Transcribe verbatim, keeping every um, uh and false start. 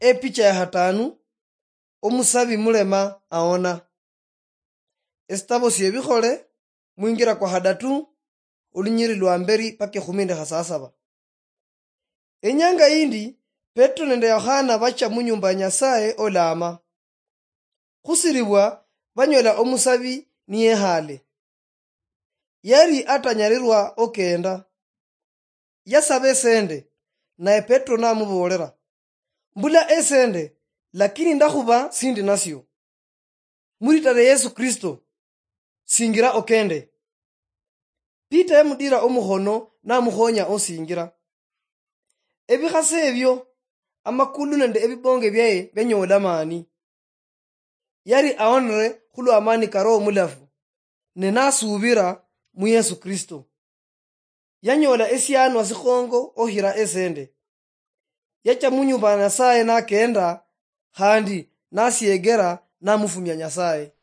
Epicha ya hatanu, omusabi mulema aona. Esitabo syebikhole, mwingira kwa hadatu, olunyiri lwa mberi paka ekhumi nende khasasaba. Enyanga yindi, Petro nende Yohana bacha munyumba ya Nyasaye olama. Khusiribwa, banyola omusabi niyehale. Yari atanyalirwa okenda. Yasaba esende, naye Petro namuboolera, "Mbula esende, lakini ndakhuba sindi nasio. Mulitare Yesu Kristo, singira okende." Peter yamudira omukhono namukhonya osingira. Ebikhase ebio, amakulu nende ebibonge byaye byanyoola amaani. Yali awonere khulwa amaani ka Roho Mulafu, ne nasuubira mu Yesu Kristo. Yanyoola esianwa sikhongo okhira esende. Yacha mu nyumba ya Nyasaye nakenda, khandi nasiegera namufumia Nyasaye.